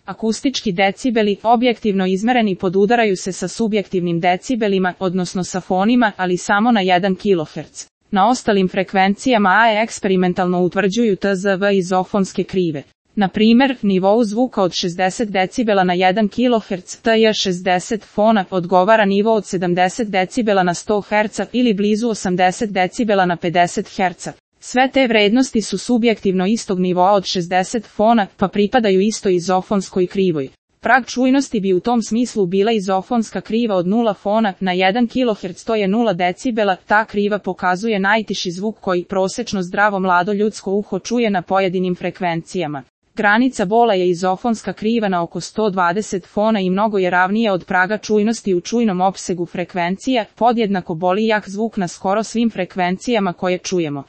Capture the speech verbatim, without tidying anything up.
Akustički decibeli, objektivno izmereni, podudaraju se sa subjektivnim decibelima, odnosno sa fonima, ali samo na jedan kiloherc. Na ostalim frekvencijama A E eksperimentalno utvrđuju T Z V izofonske krive. Na primjer, nivou zvuka od šezdeset decibela na jedan kiloherc T J šezdeset fona odgovara nivo od sedamdeset decibela na sto herca ili blizu osamdeset decibela na pedeset herca. Sve te vrednosti su subjektivno istog nivoa od šezdeset fona, pa pripadaju istoj izofonskoj krivoj. Prag čujnosti bi u tom smislu bila izofonska kriva od nula fona na jedan kiloherc, to je nula decibela. Ta kriva pokazuje najtiši zvuk koji prosečno zdravo mlado ljudsko uho čuje na pojedinim frekvencijama. Granica bola je izofonska kriva na oko sto dvadeset fona i mnogo je ravnija od praga čujnosti u čujnom opsegu frekvencija, podjednako boli jak zvuk na skoro svim frekvencijama koje čujemo.